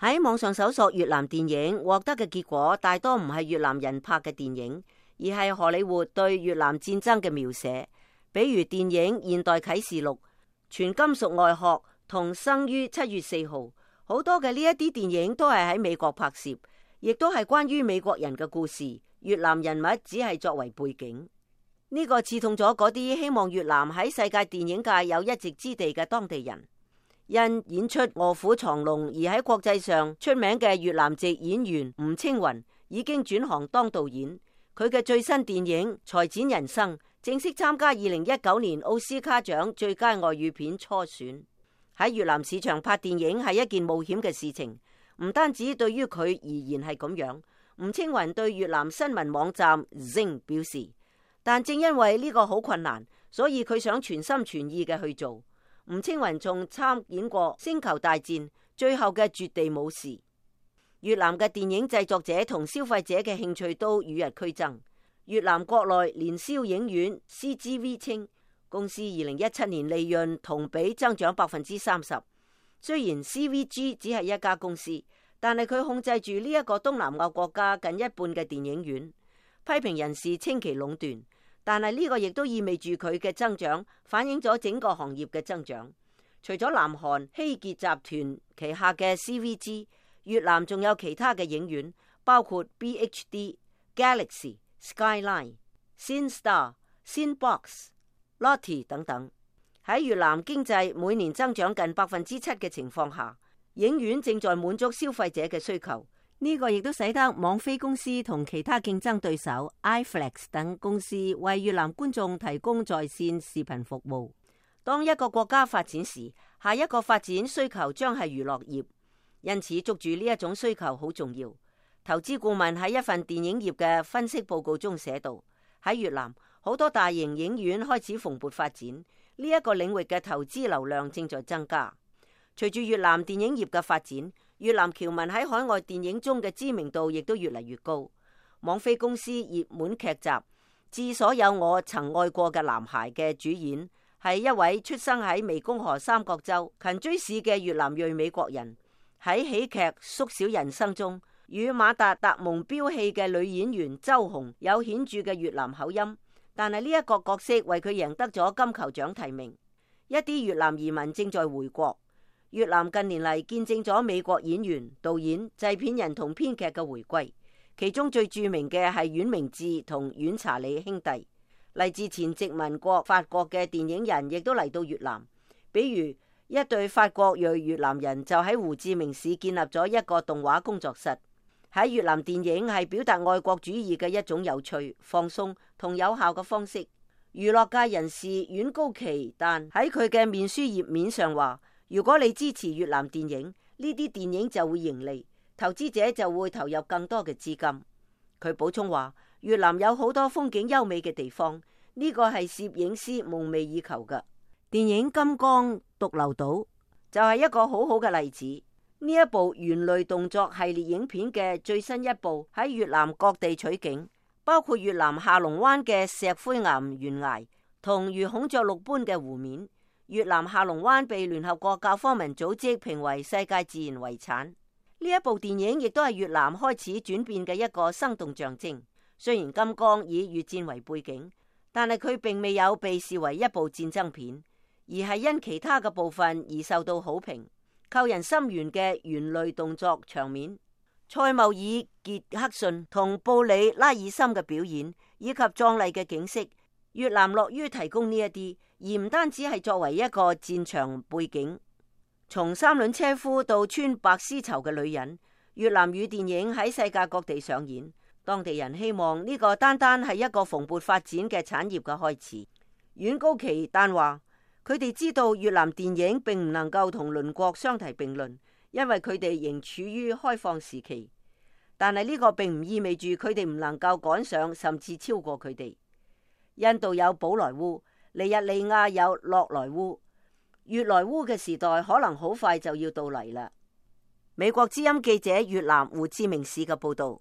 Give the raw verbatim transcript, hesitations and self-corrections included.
喺網上搜索越南電影，獲得嘅結果大多唔係越南人拍嘅電影，而係荷里活對越南戰爭嘅描寫，比如電影《現代啟示錄》、《全金屬外殼》同《生於七月四號》。好多嘅呢一啲電影都係喺美國拍攝，亦都係關於美國人嘅故事，越南人物只係作為背景。呢個刺痛咗嗰啲希望越南喺世界電影界有一席之地嘅當地人。因演出《卧虎藏龍》而喺國際上出名嘅越南籍演員吳青雲已經轉行當導演，佢嘅最新電影《裁剪人生》正式參加二零一九年奧斯卡獎最佳外語片初選。喺越南市場拍電影係一件冒險嘅事情，唔單止對於佢而言係咁樣。吳青雲對越南新聞網站 Zing 表示，但正因為呢個好困難，所以佢想全心全意嘅去做。吳青雲仲參演過《星球大戰》最後嘅絕地武士。越南嘅電影製作者同消費者嘅興趣都與日俱增。越南國內年銷影院 C G V 稱，公司二零一七年利潤同比增長百分之三十。雖然 C V G 只係一家公司，但係佢控制住呢一個東南亞國家近一半嘅電影院。批評人士稱其壟斷。但係呢個亦都意味住佢嘅增長反映咗整個行業嘅增長。除咗南韓希傑集團旗下嘅 C V G， 越南仲有其他嘅影院，包括 B H D、Galaxy、Skyline、Cinestar、Cinebox、Lotte 等等。喺越南經濟每年增長近百分之七嘅情況下，影院正在滿足消費者嘅需求。呢個亦都使得網飛公司同其他競爭對手 iFlix 等公司為越南觀眾提供在線視頻服務。當一個國家發展時，下一個發展需求將係娛樂業，因此捉住呢一種需求好重要。投資顧問喺一份電影業嘅分析報告中寫道，喺越南好多大型影院開始蓬勃發展，呢一個領域嘅投資流量正在增加。隨住越南電影業嘅發展，越南僑民喺海外電影中嘅知名度亦都越嚟越高。網飛公司熱門劇集《致所有我曾愛過嘅男孩》嘅主演係一位出生喺湄公河三角洲勤追市嘅越南裔美國人。喺喜劇《縮小人生》中，與馬達達蒙飆戲嘅女演員周紅有顯著嘅越南口音，但係呢一個角色為佢贏得咗金球獎提名。一啲越南移民正在回國。越南近年嚟見證咗美國演員、導演、製片人同編劇嘅回歸，其中最著名嘅係阮明志同阮查理兄弟。嚟自前殖民國法國嘅電影人亦都嚟到越南，比如一對法國裔越南人就喺胡志明市建立咗一個動畫工作室。喺越南，電影係表達愛國主義嘅一種有趣、放鬆同有效嘅方式。娛樂界人士阮高奇但喺佢嘅面書頁面上話，如果你支持越南電影，呢啲電影就會盈利，投資者就會投入更多嘅資金。佢補充話，越南有好多風景優美嘅地方，呢個係攝影師夢寐以求嘅。電影《金剛獨流島》就係一個好好嘅例子。呢一部猿類動作系列影片嘅最新一部喺越南各地取景，包括越南下龍灣嘅石灰岩懸崖同如孔雀綠般嘅湖面。越南下龍灣被聯合國教科文組織評為世界自然遺產。呢一部電影亦都係越南開始轉變嘅一個生動象徵。雖然金剛以越戰為背景，但係佢並未有被視為一部戰爭片，而係因其他嘅部分而受到好評。扣人心弦嘅猿類動作場面、塞繆爾傑克遜同布里拉爾森嘅表演，以及壯麗嘅景色，越南樂於提供呢一啲，而唔單止係作為一個戰場背景。從三輪車夫到穿白絲綢嘅女人，越南語電影喺世界各地上演。當地人希望呢個單單係一個蓬勃發展嘅產業嘅開始。阮高奇丹話，佢哋知道越南電影並唔能夠同鄰國相提並論，因為佢哋仍處於開放時期。但係呢個並唔意味住佢哋唔能夠趕上甚至超過佢哋。印度有寶萊塢，尼日利亞有洛萊塢，越萊塢嘅時代可能好快就要到嚟啦。美國之音記者越南胡志明市嘅報道。